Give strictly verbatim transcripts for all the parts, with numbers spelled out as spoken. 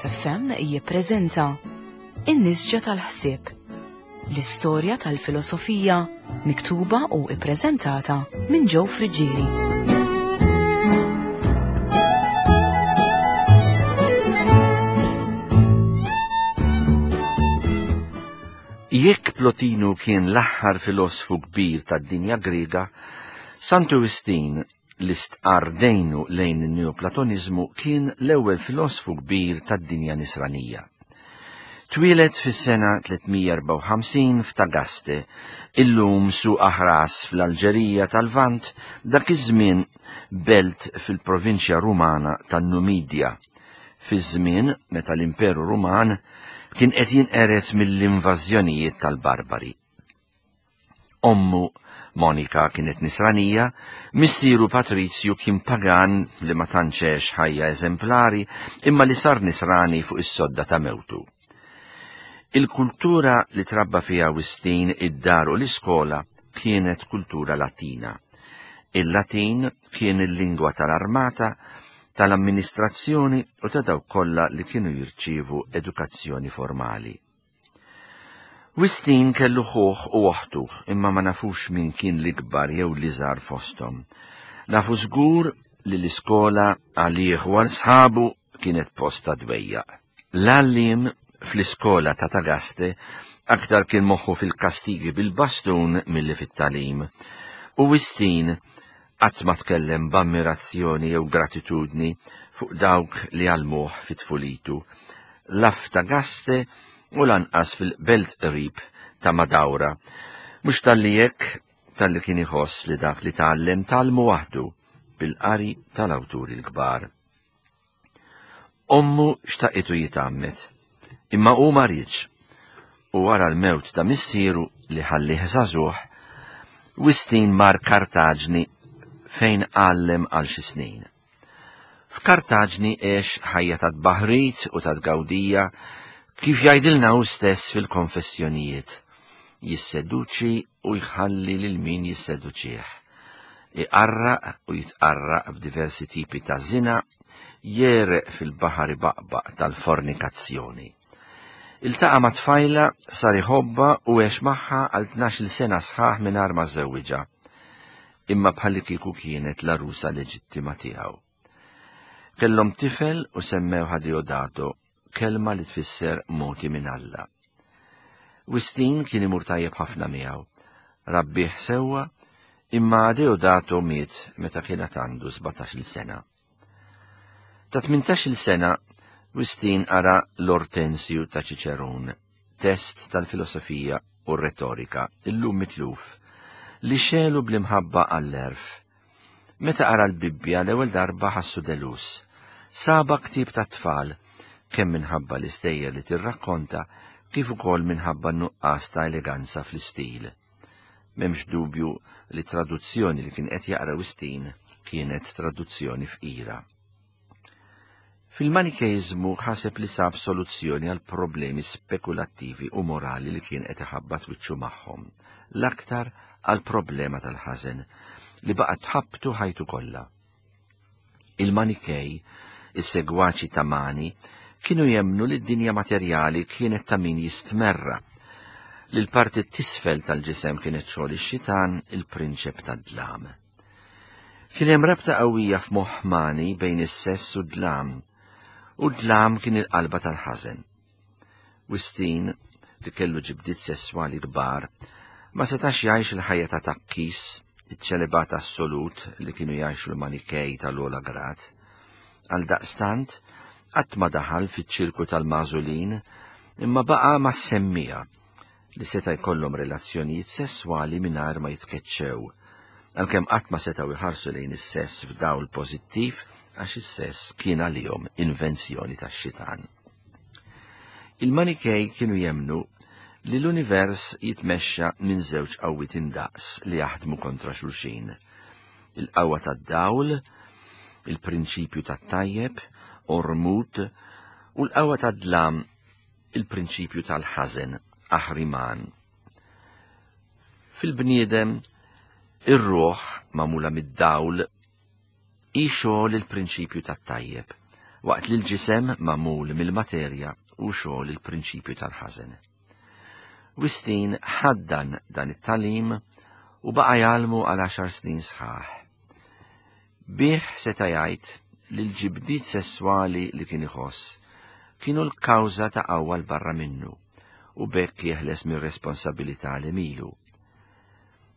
Veritas F M jippreżenta In-Nisġa tal-Ħsieb, l-istorja tal-filosofija miktuba u ippreżentata minn Joe Friggieri. Jekk Plotinu kien l-aħħar filosfu kbir tad-dinja Griega, Santu Wistin li stqarr dejnu lejn in-Neoplatoniżmu kien l-ewwel filosfu kbir tad-dinja Nisranija. Twieled fis-sena tlietmija erbgħa u ħamsin f'Tagaste, illum Suq Aħras fl-Alġerija tal-Lvant, dak iż-żmien belt fil-provinċja Rumana tan-Numidja, fiż-żmien meta l-Imperu Ruman kien qed jinqered mill-invażjonijiet tal-Barbari. Ommu Monika kienet nisranija, missieru Patrizju kien pagan li ma tantx għex ħajja eżemplari imma li sar nisrani fuq is-sodda ta' mewtu. Il-kultura li trabba fiha Wistin id-dar u l-iskola kienet kultura Latina. Il-Latin kien il-lingwa tal-armata, tal-amministrazzjoni u ta' dawk kollha li kienu jirċievu edukazzjoni formali. Wistin kellu ħuh u oħtu, imma ma nafux min kien l-ikbar jew l-iżgħar fosthom. Nafu żgur li l-iskola għalih u għal sħabu kienet post ta' dwejjaq. L-għalliem fl-iskola ta' Tagaste aktar kien moħħu fil-kastigi bil-bastun milli fit-talim. U Wistin qatt ma tkellem b'ammirazzjoni jew gratitudni fuq dawk li għallmuh fit-tfulitu. La f'Tagaste u lanqas fil-belt qrib ta' Madawra. Mhux talli hekk, talli kien iħoss li dak li tgħallem tgħallmu waħdu bil-qari tal-awturi l-kbar. Ommu xtaqitu jitgħammed, imma hu ma riedx, u wara l-mewt ta' missieru li ħallih żagħżugħ, Wistin mar Kartaġni fejn għallem għal xi snin. F'Kartaġni għex ħajja ta' tbaħrit u ta' tgawdija kif jgħidilna hu stess fil-konfessjonijiet, jisseduċi u jħalli lil min jisseduċih, iqarraq u jitqarraq b'diversi tipi ta' zina, jereq fil-baħar ibaqbaq tal-fornikazzjoni. Iltaqa' ma' tfajla, sar iħobbha u għex magħha għal tnax-il sena sħaħ mingħajr ma żewwiġha, imma bħalli kieku kienet l-għarusa leġittima tiegħu. Kellhom tifel u semmewha Deodato, kelma li tfisser moti minn Alla. Wistin kien imur tajjeb ħafna miegħu, rabbih sewwa, imma Deodato miet meta kien għad għandu sbatax-il sena. Ta' tmintax-il sena Wistin qara l-Ortensju ta' Ċiċerun, test tal-filosofija u r-retorika, illum mitluf, li xelu bl-imħabba għall-erf. Meta qara l-Bibbja l-ewwel darba ħassu delus, saba ktieb tat-tfal, kemm minħabba l-istejjer li tirrakkonta, kif ukoll minħabba n-nuqqas ta' eleganza fl-istil. M'hemmx dubju li traduzzjoni li kien qed jaqra Wistin kienet traduzzjoni fqira. Fil-Manikeiżmu ħaseb li sab soluzzjoni għal problemi spekulattivi u morali li kien qed iħabbat wiċċu magħhom, l-aktar għal problema tal-ħażen li baqgħet tħabbtu ħajtu kollha. Il-Manikej, is-segwaċi ta' Mani, kienu jemmnu li d-dinja materjali kienet ta' min jistmerra, li l-parti t-tisfel tal-ġisem kienet xogħol ix-xitan, il-prinċep tad-dlam. Kien hemm rabta qawwija f'moħħ Mani bejn is-sess u d-dlam, u d-dlam kien il-qalba tal-ħażen. Wistin, li kellu ġibdiet sesswali kbar, ma setax jgħix il-ħajja ta' takkis, iċ-ċelibat assolut li kienu jgħixu l-Manikej tal-ogħla grad. Għal daqstant, qatt ma daħal fiċ-ċirku tal-magħżulin, imma baqa' ma' semmija li seta' jkollhom relazzjonijiet sesswali mingħajr ma jitkeċċew, għalkemm qatt ma setgħu jħarsu lejn is-sess f'dawl pożittiv għax is-sess kien għalihom invenzjoni tax-xitan. Il-Manikej kienu jemmnu li l-univers jitmexxa minn żewġ qawwiet indaqs li jaħdmu kontra xulxin. Il-qawwa tad-dawl, il-prinċipju tat-tajjeb, Ormud, u l-qawwa tad-dlam, il-prinċipju tal-ħażen, Aħriman. Fil-bniedem, ir-ruħ magħmula mid-dawl hi xogħol il-prinċipju tat-tajjeb, waqt li l-ġisem magħmul mill-materja u xogħol il-prinċipju tal-ħażen. Wistin ħaddan dan it-tagħlim u baqa' jgħallmu għal għaxar snin sħaħ. Bih seta' jgħid li l-ġibdiet sesswali li kien iħoss kienu l-kawża ta' qawwa 'l barra minnu u b'hekk jeħles mir-responsabilità li milu.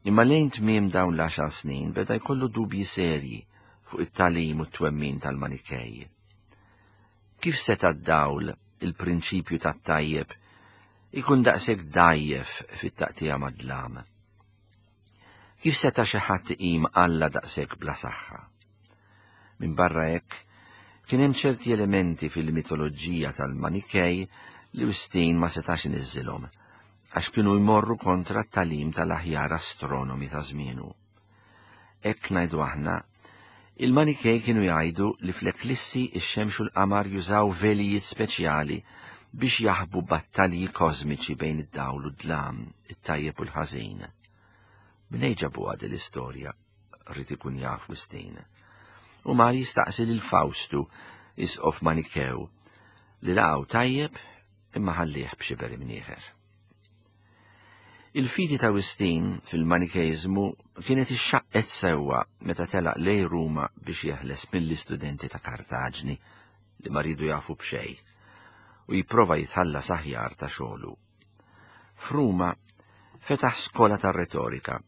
Imma lejn tmiem dawn l-għaxar snin beda jkollu dubji serji fuq it-tagħlim u t-twemmin tal-Manikej. Kif seta' d-dawl il-prinċipju tat-tajjeb ikun daqshekk dgħajjef fit-taqtija mad-dlam? Kif seta' xi ħadd iqim Alla daqshekk bla saħħa? Minn barra hekk, kien hemm ċerti elementi fil-mitoloġija tal-Manikej li Wistin ma setax iniżżilhom, għax kienu jmorru kontra t-tagħlim tal-aħjar astronomi ta' żmienu. Hekk ngħidu aħna, il-Manikej kienu jgħidu li fl-eklissi ix-xemx u l-qamar jużaw velijiet speċjali biex jaħbu battalji kosmiċi bejn id-dawl u d-dlam, it-tajjeb u l-ħażin. Mnejn ġabuha din l-istorja, ried ikun jaf Wistin. U mar jistaqsi lil Fawstu, isqof Manikew, li laqgħu tajjeb imma ħallih b'xiber imnieħer. Il-fidi ta' Wistin fil-Manikejżmu kienet ixxaqqet sewwa meta telaq lejn Ruma biex jeħles mill-istudenti ta' Kartaġni li ma riedu jafu b'xejn u jipprova jitħallas aħjar ta' xogħlu. F'Ruma fetaħ skola tar-retorika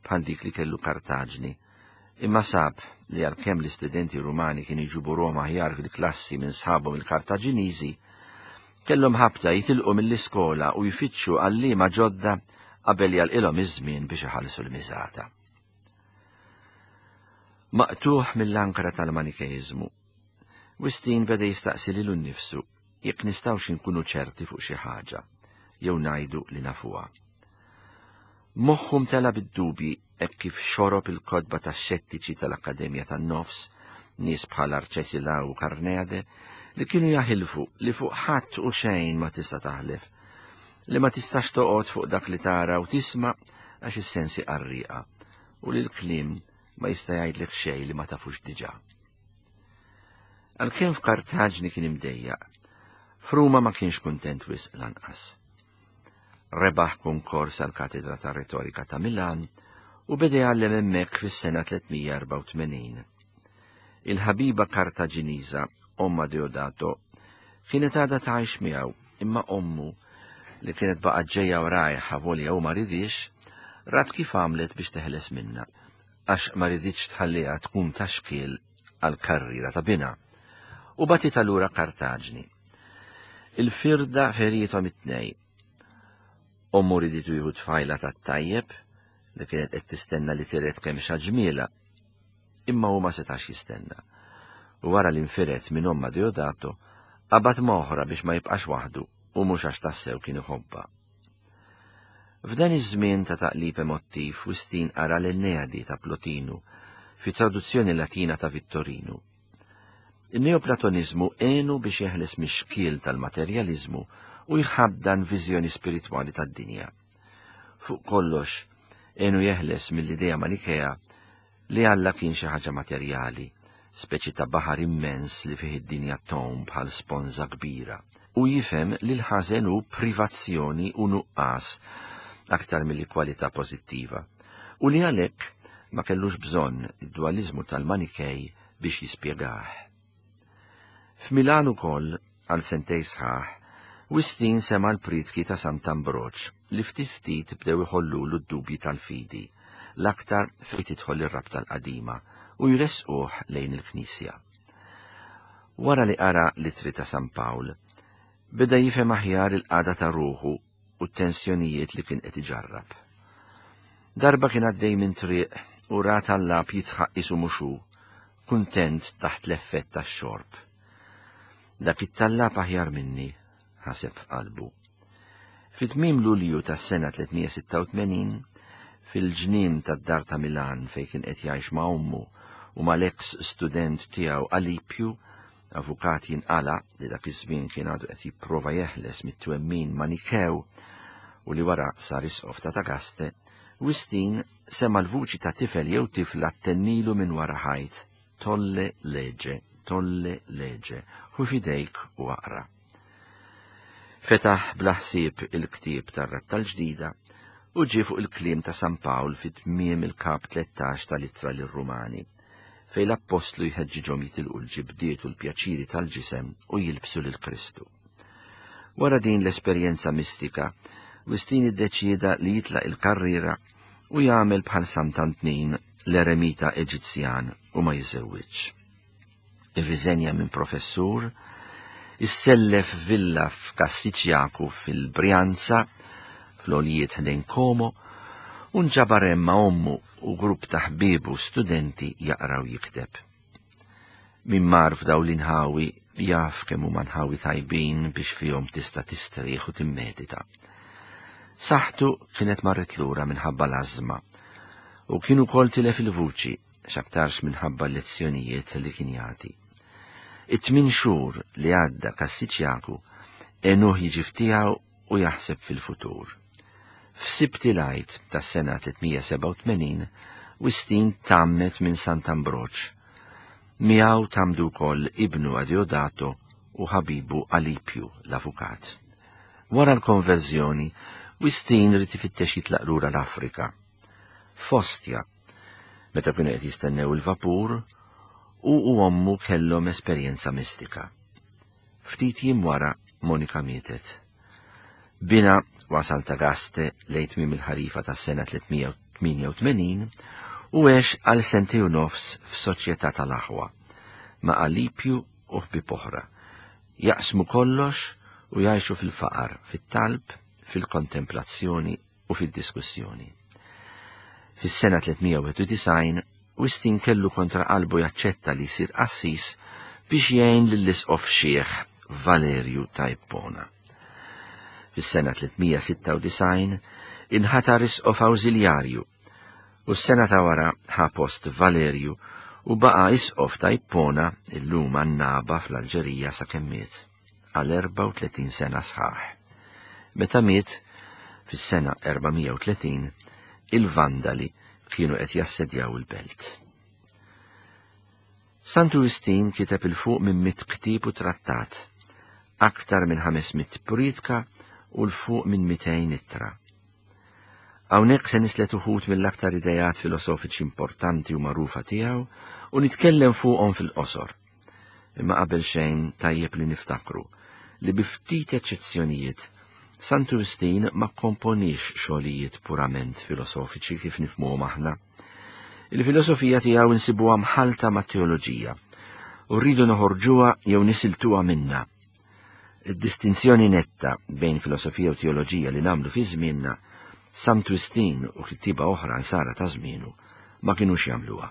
bħal dik li kellu Kartaġni, imma sab li għalkemm l-istudenti Rumani kienu jġibu ruħhom aħjar fil-klassi minn sħabhom il-Kartaġiniżi, kellhom ħabta jitilqu mill-iskola u jfittxu għalliema ġodda qabel jalqilhom iż-żmien biex iħallsu l-miżata. Maqtuħ mill-ankra tal-Manikejżmu, Wistin beda jistaqsi lilu nnifsu jekk nistgħux inkunu ċerti fuq xi ħaġa jew ngħidu li nafuha. Moħħu mtela bid-dubji hekk kif xorob il-kotba tax-xettiċi tal-Akkademja tan-Nofs, nies bħal Arċesilaw u Karneade, li kienu jaħilfu li fuq ħadd u xejn ma tista' taħlef, li ma tistax toqgħod fuq dak li tara u tisma' għax is-sensi qarrieqa, u li l-kliem ma jista' jgħidlek xejn li ma tafux diġà. Għalkemm f'Kartaġni kien imdejjaq, f'Ruma ma kienx kuntent wisq lanqas. Rebaħ konkors għal katedra ta' retorika ta' Milan u beda jgħallem hemmhekk fis-sena tliet mija erbgħa u tmenin. Il-ħabiba Kartaġiniża, omma Deodato, kienet għadha tgħix miegħu, imma ommu li kienet baqgħet ġejja warajh avolja u ma ridix, rat kif għamlet biex teħles minna, għax ma riditx tħalliha tkun ta' xkiel għal karriera ta' binha, u bagħtitha lura Kartaġni. Il-firda ferietom it-tnejn. Ommu riditu jieħu tfajla tat-tajjeb li kienet qed tistenna li tiret kemm ġmiela, imma hu ma setax jistenna. U wara li nfiret minn omma Deodato, qabad oħra biex ma jibqax waħdu u mhux għax tassew kien iħobbha. F'dan iż-żmien ta' taqlib emottiv, Wistin qara l-Enneadi ta' Plotinu fi traduzzjoni Latina ta' Vittorinu. Il-Neoplatonizmu għenu biex jeħles mix-xkiel tal-materjalizmu u jħaddan viżjoni spiritwali tad-dinja. Fuq kollox, għenu jeħles mill-idea Manikea li Alla kien xi ħaġa materjali, speċi ta' baħar immens li fih id-dinja tgħum bħal sponża kbira, u jifhem li l-ħażen hu privazzjoni u nuqqas aktar milli kwalità pożittiva, u li għalhekk ma kellux bżonn id-dualizmu tal-Manikej biex jispjegah. F'Milan ukoll, għal sentej sħaħ, Wistin sema l-pritki ta' Sant'Ambroġ li ftit ftit bdew iħollulu d-dubji tal-fidi, l-aktar fejn tidħol ir-rabta l-qadima u jresquh lejn il-Knisja. Wara li qara l-ittri ta' San Pawl, beda jifhem aħjar il-qagħda ta' ruħu u t-tensjonijiet li kien qed iġarrab. Darba kien għaddej minn triq u ra tallab jidħaq qisu mhux hu, kuntent taħt l-effett tax-xorb. Dak it-tallab aħjar minni, ħaseb f'qalbu. Fit-tmiem Lulju tas-sena tliet mija sitta u tmenin, fil-ġnien tad-dar ta' Milan fejn kien qed jgħix ma' ommu u mal-ex student tiegħu Alipju, avukat jinqala li dak iż-żmien kien għadu qed jipprova jeħles mit-twemmin Manikew u li wara sar isqof ta' Tagaste, Wistin sema l-vuċi ta' tifel jew tifla ttennilu minn wara ħajt: "Tolle lege, tolle lege, Ħu f'idejk u aqra. Fetaħ bla ħsieb il-ktieb tar-Rabta l-Ġdida u ġie fuq il-kliem ta' San Pawl fi tmiem il-kap tlettax tal-Ittra lir-Rumani, fejn l-Appostlu jħeġġiġhom jitilqu l-ġibdiet u l-pjaċiri tal-ġisem u jilbsu lil Kristu. Wara din l-esperjenza mistika, Wistin iddeċieda li jitlaq il-karriera u jagħmel bħal Sant'Antnin l-eremita Eġizzjan u ma jiżżewwiġx. Irriżenja minn professur, issellef villa f'Kassiċjaku fil-Brianza, fl-għoljiet ħdejn Como, u nġabar hemm ma' ommu u grupp ta' ħbieb u studenti jaqra u jikteb. Min mar f'daw l-inħawi jaf kemm huma nħawi tajbin biex fihom tista' tistrieħ u timmedita. Saħħtu kienet marret lura minħabba l-ażma u kien ukoll tilef il-vuċi x'aktarx minħabba l-lezzjonijiet li kien jagħti. It-tmien xhur li għadda Kassiċjaku għenuh jiġi f'tiegħu u jaħseb fil-futur. F'Sibt il-Għid tas-sena tliet mija sebgħa u tmenin, Wistin tgħammed minn Sant'Ambroġ. Miegħu tgħammdu wkoll ibnu Adeodato u ħabibu Alipju l-avukat. Wara l-konverżjoni, Wistin ried ifittex jitlaq lura l-Afrika. F'Ostia, meta kienu qed jistennew il-vapur, u u ommu kellhom esperjenza mistika. Ftit jiem wara Monika mietet. Bina wasal Tagaste lejn tmiem il-ħarifa tas-sena tliet mija tmienja u tmenin u għex għal sentejn u nofs f'soċjetà tal-aħwa ma' Alipju u ħbieb oħra. Jaqsmu kollox u jgħixu fil-faqar, fit-talb, fil-kontemplazzjoni u fid-diskussjoni. Fis-sena tliet mija wieħed u disgħin, Wistin kellu kontra qalbu jaċċetta li jsir qassis biex jgħin lill-isqof xiħ Valerju ta' Ippona. Fis-sena tliet mija sitta u disgħin inħatar isqof awżiljarju u s-sena ta' wara ħa post Valerju u baqa' isqof ta' Ippona illum Annaba fl-Alġerija sakemm miet għal erbgħa u tletin sena sħaħ. Meta miet fis-sena erba' mija u tletin, il-Vandali kienu qed jassedjaw il-belt. Santu Wistin kiteb 'il fuq minn mitt ktieb u trattat, aktar minn ħames mitt priedka u 'l fuq minn mitejn ittra. Hawnhekk se nislet uħud mill-aktar idejat filosofiċi importanti u magħrufa tiegħu u nitkellem fuqhom fil-qosor. Imma qabel xejn tajjeb li niftakru li bi ftit eċċezzjonijiet Santu Wistin ma komponix xogħlijiet purament filosofiċi kif nifhmuhom aħna. Il-filosofija tiegħu insibuha mħalta ma' teoloġija u rridu noħorġuha jew nisiltuha minna. Id-distinzjoni netta bejn filosofija u teoloġija li nagħmlu fi żmienna, Santu Wistin u kittieba oħra nsara ta' żmienu ma kinux jagħmluha.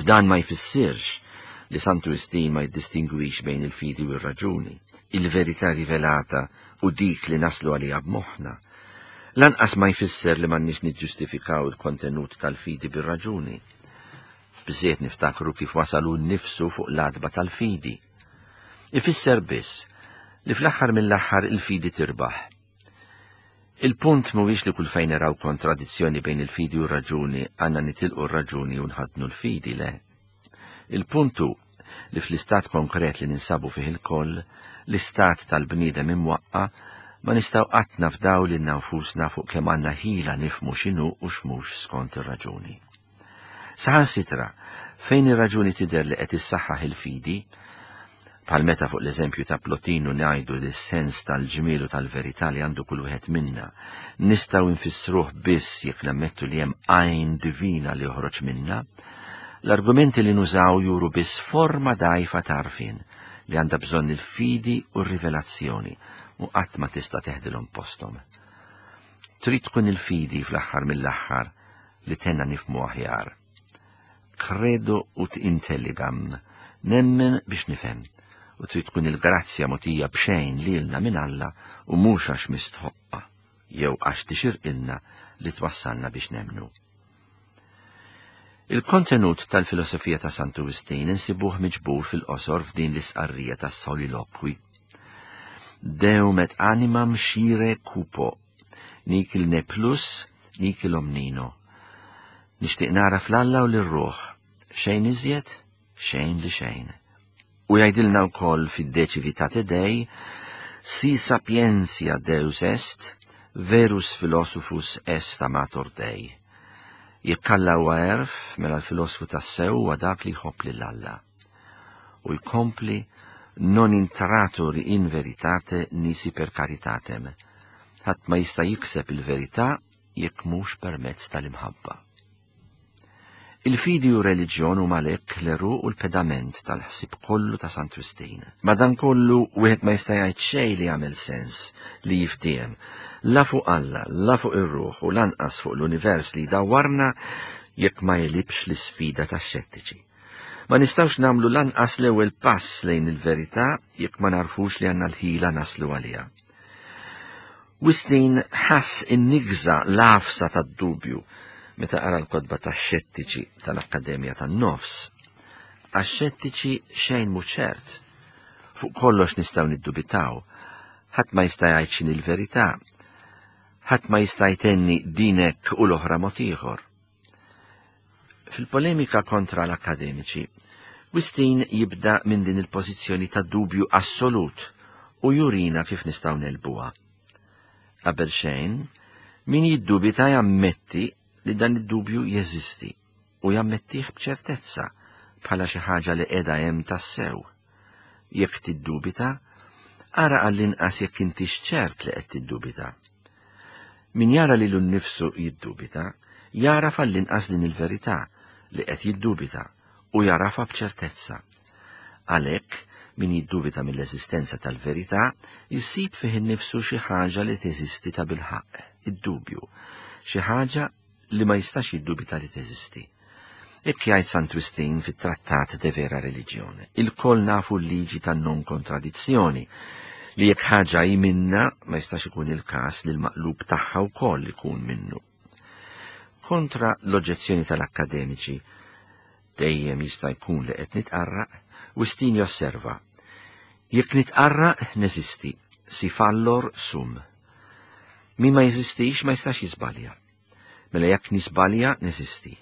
B'dan ma jfissirx li Santu Wistin ma jiddistingwix bejn il-fidi u r-raġuni, il-verità rivelata u dik li naslu għaliha b'moħħna. Lanqas ma jfisser li m'għandniex niġġustifikaw il-kontenut tal-fidi bir-raġuni. Biżżejjed niftakru kif wasalu nnifsu fuq l-għatba tal-fidi. Ifisser biss li fl-aħħar mill-aħħar il-fidi tirbaħ. Il-punt mhuwiex li kull fejn naraw kontradizzjoni bejn il-fidi u r-raġuni għandna nitilqu r-raġuni u nħaddnu l-fidi, le. Il-punt hu li fl-istat konkret li ninsabu fih il-koll, l-istat tal-bniedem imwaqqa, ma nistgħu qatt nafdaw lilna nfusna fuq kemm għandna ħila nifhmu x'inhu u x'mhux skont ir-raġuni. Saħansitra, fejn ir-raġuni tidher li qed issaħħaħ il-fidi, bħal meta fuq l-eżempju ta' Plotinu ngħidu li s-sens tal-ġmiel u tal-verità li għandu kull wieħed minna nistgħu nfissruh biss jekk nammettu li hemm għajn divina li joħroġ minna, l-argumenti li nużaw juru biss forma dgħajfa t'għarfien li għandha bżonn il-fidi u r-rivelazzjoni u qatt ma tista' teħdilhom posthom. Trid tkun il-fidi fl-aħħar mill-aħħar li tenna nifhmu aħjar. Credo ut intelligam, nemmen biex nifhem, u trid tkun il-grazzja mogħtija b'xejn lilna minn Alla u mhux għax mistħoqqa jew għax tixirqilna li twassalna biex nemmnu. Il-kontenut tal-filosofija ta' Santu Wistin insibuh miġbur fil-qosor f'din l-isqarrija tas-solilokwi. Deum et animam scire cupo, nihil ne plus, nihil omnino. Nixtieq nara fl-Alla u lir-ruħ, xejn iżjed, xejn li xejn. U jgħidilna wkoll fid-De Civitate Dei, si sapientia Deus est, verus philosophus est amator Dei. Jekk Alla huwa għerf, mela l-filosfu tassew huwa dak li jħobb lil Alla. U jkompli non intratur in veritate nisi per caritatem. Ħadd ma jista' jikseb il-verità jekk mhux permezz tal-imħabba. Il-fidi u reliġjon huma għalhekk l-għeruq u l-pedament tal-ħsieb kollu ta' Sant Wistin. Madankollu wieħed ma jista' jgħid xejn li jagħmel sens li jiftiehem la fuq Alla, la fuq ir-ruħ u lanqas fuq l-univers li dawwarna jekk ma jegħlibx l-isfida tax-xettiċi. Ma nistgħux nagħmlu lanqas l-ewwel pass lejn il-verità jekk ma narfux li għandna l-ħila naslu għaliha. Wistin ħass in-nigża l-għafsa tad-dubju meta qara l-kotba tax-xettiċi tal-Akkademja tan-Nofs. Għax-xettiċi xejn mhu ċert. Fuq kollox nistgħu niddubitaw. Ħadd ma jista' jgħid x'inhi l-verità. Ħadd ma jista' jtenni din hekk u l-oħra mod ieħor. Fil-polemika kontra l-akademiċi, Wistin jibda minn din il-pożizzjoni ta' dubju assolut u jurina kif nistgħu negħlbuha. Qabel xejn, min jiddubita jammetti li dan id-dubju jeżisti u jammettih b'ċertezza bħala xi ħaġa li qiegħda hemm tassew. Jekk tiddubita, ara għall-inqas jekk intix ċert li qed tiddubita. Min jara lilu nnifsu jiddubita, jara għall-inqas din il-verità li qed jiddubita u jarafa b'ċertezza. Għalhekk, min jiddubita mill-eżistenza tal-verità, jissib fih innifsu xi ħaġa li teżisti ta' bilħaqq, id-dubju, xi ħaġa li ma jistax jiddubita li teżisti. Hekk jgħid Sant Wistin fit-Trattat de Vera Religione. Ilkoll nafu l-liġi tan-non kontradizzjoni, li jekk ħaġa hi minna ma jistax ikun il-każ li l-maqlub tagħha wkoll ikun minnu. Kontra l-oġġezzjoni tal-akkademiċi, dejjem jista' jkun li qed nitqarraq, Wistin josserva: jekk nitqarraq neżisti, si fallor sum. Min ma jeżistix ma jistax jiżbalja. Mela jekk nisbalja neżisti.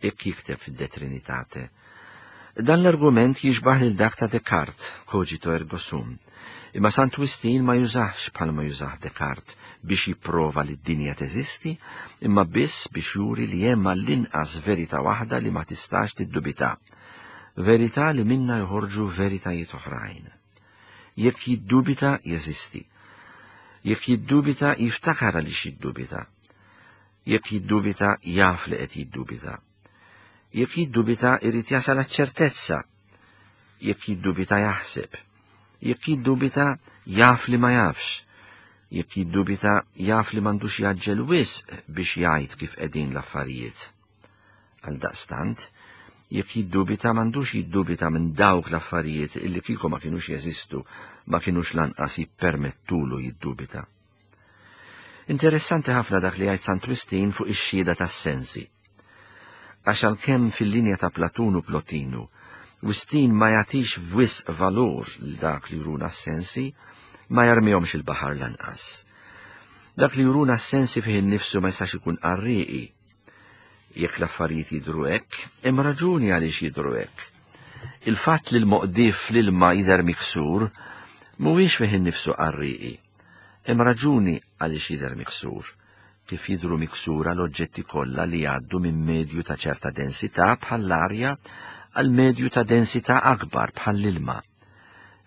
Hekk jikteb fid-De Trinitate. Dan l-argument jixbaħ lil dak ta' Descartes, cogito ergo sum. Imma Sant Wistin ma jużax bħalma jużah Descartes biex jipprova li d-dinja teżisti, imma biss biex juri li hemm għall-inqas verità waħda li ma tistax tiddubita. Verità li minna joħorġu veritajiet oħrajn. Jekk jiddubita, jeżisti. Jekk jiddubita, jiftakar għaliex jiddubita. Jekk jiddubita, jaf li qed jiddubita. Jekk jiddubita, irid jasal ċertezza. Jekk jiddubita, jaħseb. Jekk jiddubita, jaf li ma jafx. Jekk jiddubita, jaf li m'għandux jaġġel wisq biex jgħid kif qegħdin l-affarijiet. Għaldaqstant, jekk jiddubita m'għandux jiddubita minn dawk l-affarijiet illi kieku ma kinux jeżistu, ma kinux lanqas jippermettulu jiddubita. Interessanti ħafna dak li jgħid Sant Wistin fuq ix-xhieda tas-sensi. Għax għalkemm fil-linja ta' Platun u Plotinu, Wistin ma jagħtix wisq valur lil dak li juruna s-sensi, ma jarmihomx il-baħar lanqas. Dak li juruna s-sensi fih innifsu ma jistax ikun qarrieqi. Jekk l-affarijiet jidhru hekk, hemm raġuni għaliex jidhru hekk. Il-fatt li l-moqdif fl-ilma jidher miksur mhuwiex fih innifsu qarrieqi. Hemm raġuni għaliex jidher miksur, kif jidhru miksura l-oġġetti kollha li jgħaddu minn medju ta' ċerta densità bħall-arja għal medju ta' densità akbar bħall-ilma.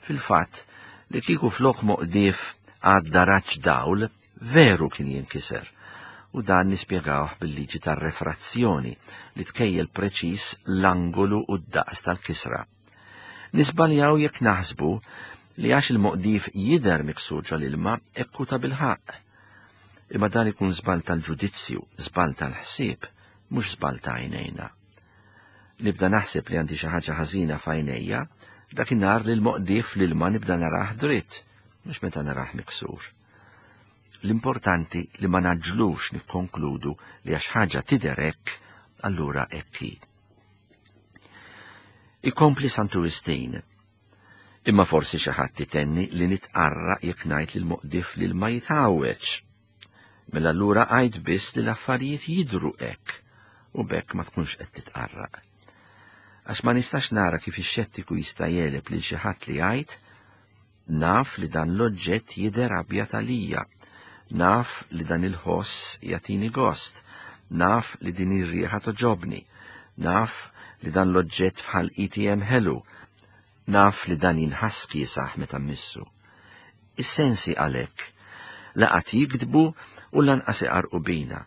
Fil-fatt, li kieku flok moqdif għadda raġġ dawl, veru kien jinkiser. U dan nispjegawh bil-liġi tar-refrazzjoni li tkejjel preċiż l-angolu u d-daqs tal-kisra. Nisbaljaw jekk naħsbu li għax il-moqdif jidher miksur ġol-ilma hekk hu ta' bilħaqq. Imma dan ikun żball tal-ġudizzju, żball tal-ħsieb, mhux żball ta' għajnejna. Nibda naħseb li għandi xi ħaġa ħażina f'għajnejja, dakinhar li l-moqdif l-ilma nibda narah dritt, mhux meta narah miksur. L-importanti li ma naġlux nikkonkludu li għax ħaġa tidher hekk, allura hekk hi. Ikompli Santu Wistin. Imma forsi xi ħadd itenni li nitqarraq jekk ngħid li l-moqdif li ma jitgħawweġ. Mela allura għid biss li l-affarijiet jidhru hekk u b'hekk ma tkunx qed titqarraq. Għax ma nistax nara kif ix-xettiku jista' jegħleb lil xi ħadd li jgħid naf li dan l-oġġett jidher abjad għalija, naf li dan il-ħoss jagħtini gost, naf li din ir-riħa togħġobni, naf li dan l-oġġett bħal E T M ħelu, naf li dan jinħass kiesaħ meta mmissu. Is-sensi għalhekk la qatt jigdbu u lanqas iqarqu bina.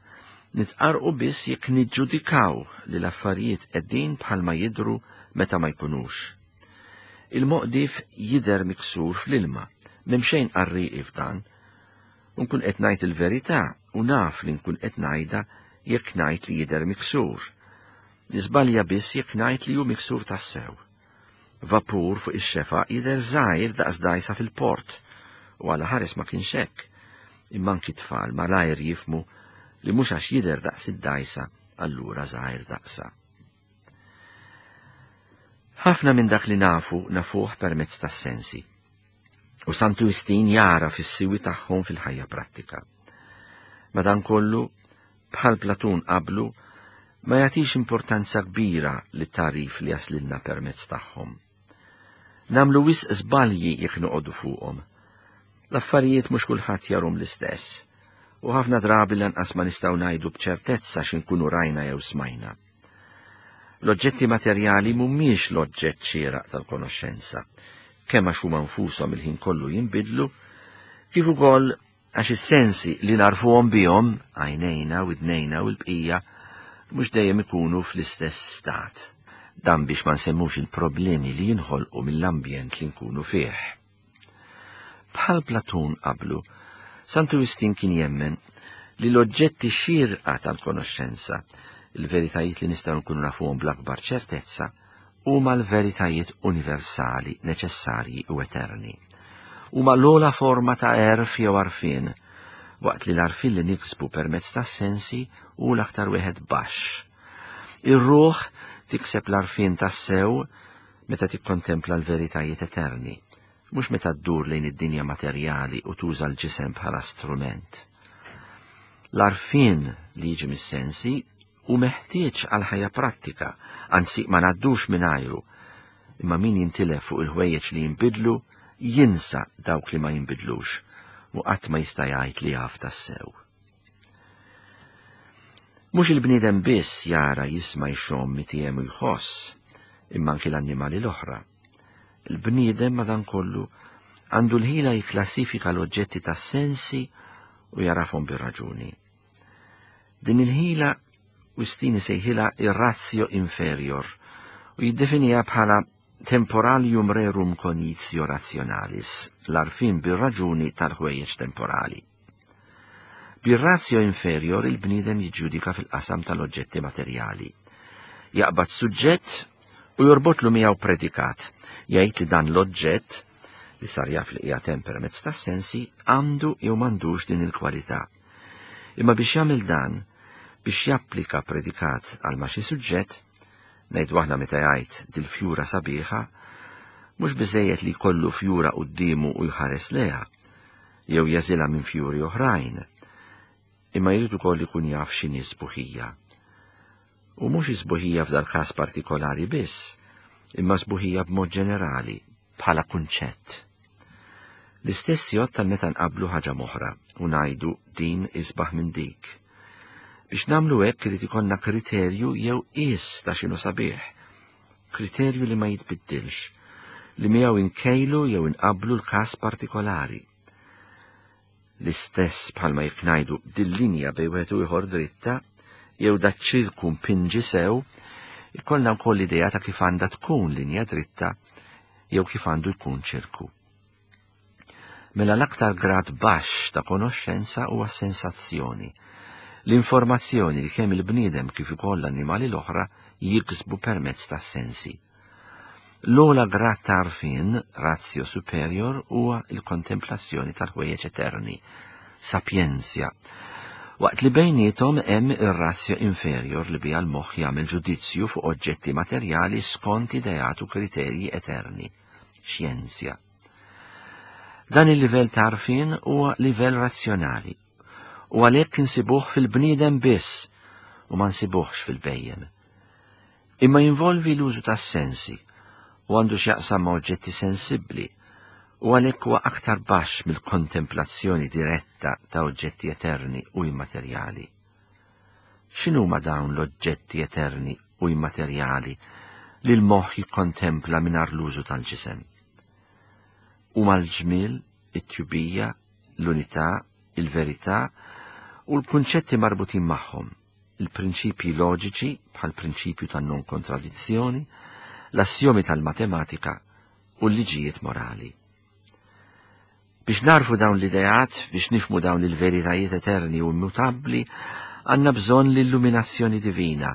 Nitqarqu biss jekk niġġudikaw li l-affarijiet qegħdin bħalma jidru meta ma jkunux. Il-moqdif jidher miksur fl-ilma, m'hemm xejn qarrieqi f'dan. Nkun qed ngħid il-verità u naf li nkun qed ngħidha jekk ngħid li jidher miksur. Niżbalja biss jekk ngħid li hu miksur tassew. Vapur fuq ix-xefaq jidher żgħir daqs dgħajsa fil-port, u għala ħares ma kienx hekk. Imma anki tfal malajr jifhmu li mhux għax jidher daqs id-dgħajsa allura żgħir daqsha. Ħafna minn dak li nafu nafuh permezz tas-sensi. U Santu Wistin jara fis-siwi tagħhom fil-ħajja prattika. Madankollu, bħal Platun qablu, ma jagħtix importanza kbira lit-tagħrif li jaslilna permezz tagħhom. Nagħmlu wisq żbalji jekk noqogħdu fuqhom. L-affarijiet mhux kulħadd jarahom l-istess, u ħafna drabi lanqas ma nistgħu ngħidu b'ċertezza x'inkunu rajna jew smajna. L-oġġetti materjali mhumiex l-oġġett xieraq tal-konoxxenza, kemm għax huma nfushom il-ħin kollu jinbidlu, kif ukoll għax is-sensi li narfuhom bihom, għajnejna, widnejna u l-bqija, mhux dejjem ikunu fl-istess stat. Dan biex ma nsemmux il-problemi li jinħolqu mill-ambjent li nkunu fih. Bħal Platun qablu, Santu Wistin kien jemmen li l-oġġetti xierqa tal-konoxxenza, il-veritajiet li nistgħu nkunu nafuhom bl-akbar ċertezza, huma l-veritajiet universali, neċessarji u eterni. Huma l-ogħla forma ta' għerf jew għarfien, waqt li l-għarfien li niksbu permezz tas-sensi hu l-aktar wieħed baxx. Ir-ruħ tikseb l-għarfien tassew meta tikkontempla l-veritajiet eterni, mhux meta ddur lejn id-dinja materjali u tuża l-ġisem bħala strument. L-għarfien li jiġi mis-sensi hu meħtieġ għal ħajja prattika, anzi ma ngħaddux mingħajru, imma min jintilef fuq il-ħwejjeġ li jinbidlu jinsa dawk li ma jinbidlux u qatt ma jista' jgħid li jaf tassew. Mhux il-bniedem biss jara, jisma', jxomm, jtiegħem u jħoss, imma anki l-annimali l-oħra. Il-bniedem madankollu għandu l-ħila jikklassifika l-oġġetti tas-sensi u jagħrafhom bir-raġuni. Din il-ħila Wistin isejħilha ir-ratio inferior u jiddefiniha bħala temporalium rerum cognitio rationalis, l-għarfien bir-raġuni tal-ħwejjeġ temporali. Bir-ratio inferior il-bniedem jiġġudika fil-qasam tal-oġġetti materjali. Jaqbad suġġett u jorbotlu miegħu predikat, jgħid li dan l-oġġett li sar jaf li qiegħed hemm permezz tas-sensi għandu jew m'għandux din il-kwalità. Imma biex jagħmel dan, biex japplika predikat għal ma xi suġġett, ngħidu aħna meta jgħid dil-fjura sabiħa, mhux biżejjed li jkollu fjura quddiemu u jħares lejha, jew jagħżilha minn fjuri oħrajn, imma jrid ukoll ikun jaf x'inhi sbuħija. U mhux sbuħija f'dal każ partikolari biss, imma sbuħija b'mod ġenerali, bħala kunċett. L-istess jgħodd tal meta nqablu ħaġa m'oħra u ngħidu din isbaħ minn dik. Biex nagħmlu hekk irid ikollna kriterju jew qies ta' x'inhu sabiħ. Kriterju li ma jitbiddilx, li miegħu inkejlu jew inqablu l-każ partikolari. L-istess bħalma jekk ngħidu dil-linja bejn wieħed u ieħor dritta jew daċ-ċirku mpinġi sew, ikollna wkoll idea ta' kif għandha tkun linja dritta jew kif għandu jkun ċirku. Mela l-aktar grad baxx ta' konoxxenza huwa sensazzjoni. L-informazzjoni li kemm il-bniedem kif ukoll l-annimali l-oħra jiksbu permezz tas-sensi. L-ogħla grad ta' għarfien, ratio superior, huwa il-kontemplazzjoni tal-ħwejjeġ eterni, sapientia, waqt li bejniethom hemm ir-ratio inferior li biha l-moħħ jagħmel ġudizzju fuq oġġetti materjali skont ideat u kriterji eterni, xjenzja. Dan il-livell ta' għarfien huwa livell razzjonali u għalhekk insibuh fil-bniedem biss u ma nsibuhx fil-bhejjem. Imma jinvolvi l-użu tas-sensi u għandu x'jaqsam ma' oġġetti sensibbli u għalhekk huwa aktar baxx mill-kontemplazzjoni diretta ta' oġġetti eterni u immaterjali. X'inhuma dawn l-oġġetti eterni u immaterjali li l-moħħ jikkontempla mingħajr l-użu tal-ġisem? Huma l-ġmiel, it-tjubija, l-unità, il-verità u l-kunċetti marbutin magħhom, il-prinċipji loġiċi bħal prinċipju tan-non kontradizzjoni, l-assjomi tal-matematika u l-liġijiet morali. Biex narfu dawn l-ideat, biex nifmu dawn il-veritajiet eterni u immutabbli, għandna bżonn l-illuminazzjoni divina.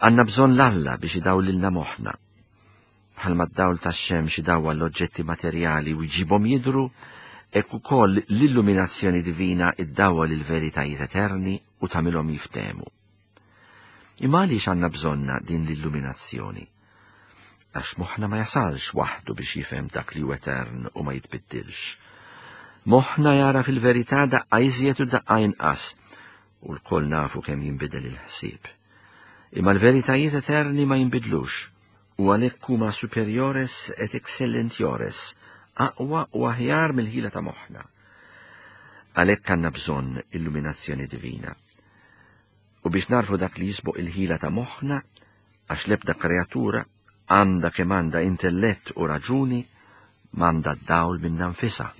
Għandna bżonn l-Alla biex idawlilna moħħna. Bħalma d-dawl tax-xemx idawwal l-oġġetti materjali u jġibhom jidhru, hekk ukoll l-illuminazzjoni divina iddawwal il-veritajiet eterni u tagħmilhom jiftehmu. Imma għaliex għandna bżonna din l-illuminazzjoni? Għax moħħna ma jasalx waħdu biex jifhem dak li hu etern u ma jitbiddilx. Moħħna jara fil-verità daqqa iżjed u daqqa inqas, u lkoll nafu kemm jinbidel il-ħsieb. Imma l-veritajiet eterni ma jinbidlux, u għalhekk huma superiores et excellentiores, aqwa u aħjar mill-ħila ta' moħħna. Għalhekk għandna bżonn illuminazzjoni divina. U biex narfu dak li jisboq il-ħila ta' moħħna, għax l-ebda kreatura għandha kemm għandha intellett u raġuni, m'għandha d-dawl minnha nfisha,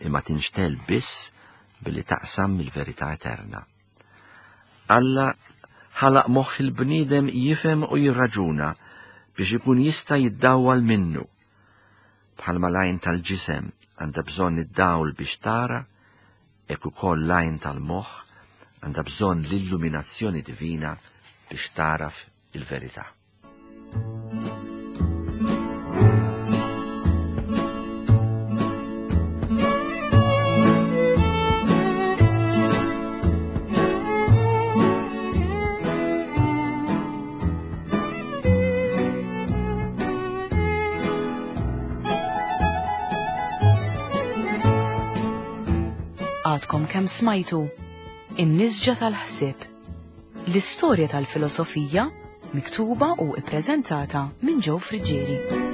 imma tinxtel biss billi taqsam mill-verità eterna. Alla ħalaq moħħ il-bniedem jifhem u jirraġuna biex ikun jista' jiddawwal minnu. Bħalma l-għajn tal-ġisem għandha bżonn id-dawl biex tara, hekk ukoll l-għajn tal-moħħ għandha bżonn l-illuminazzjoni divina biex taraf il-verità. Għadkom kemm smajtu In-Nisġa tal-Ħsieb, l-istorja tal-filosofija miktuba u ippreżentata minn Joe Friggieri.